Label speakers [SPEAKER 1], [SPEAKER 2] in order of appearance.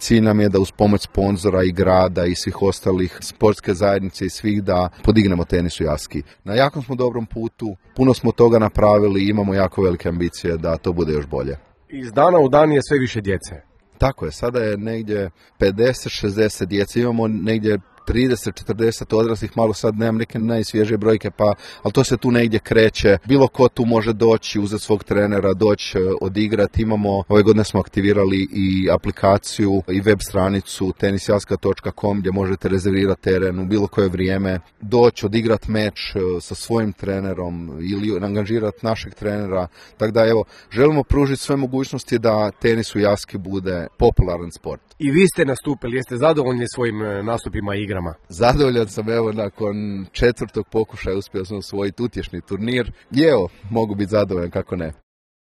[SPEAKER 1] cilj nam je da uz pomoć sponzora i grada i svih ostalih sportske zajednice i svih da podignemo tenis u Jaski. Na jakom smo dobrom putu, puno smo toga napravili i imamo jako velike ambicije da to bude još bolje.
[SPEAKER 2] Iz dana u dan je sve više djece.
[SPEAKER 1] Tako je, sada je negdje 50-60 djece, imamo negdje 30-40 odraslih, malo sad nemam neke najsvježije brojke, ali to se tu negdje kreće. Bilo ko tu može doći, uzeti svog trenera, doći odigrati. Ove godine smo aktivirali i aplikaciju i web stranicu tenisjaska.com gdje možete rezervirati teren u bilo koje vrijeme, doći, odigrati meč sa svojim trenerom ili angažirati našeg trenera. Tako da evo, želimo pružiti sve mogućnosti da tenis u Jaski bude popularan sport.
[SPEAKER 2] I vi ste nastupili, jeste zadovoljni svojim nastupima i igrama?
[SPEAKER 1] Zadovoljan sam, evo, nakon 4. pokušaja uspio sam osvojiti utješni turnir i evo, mogu biti zadovoljan, kako ne.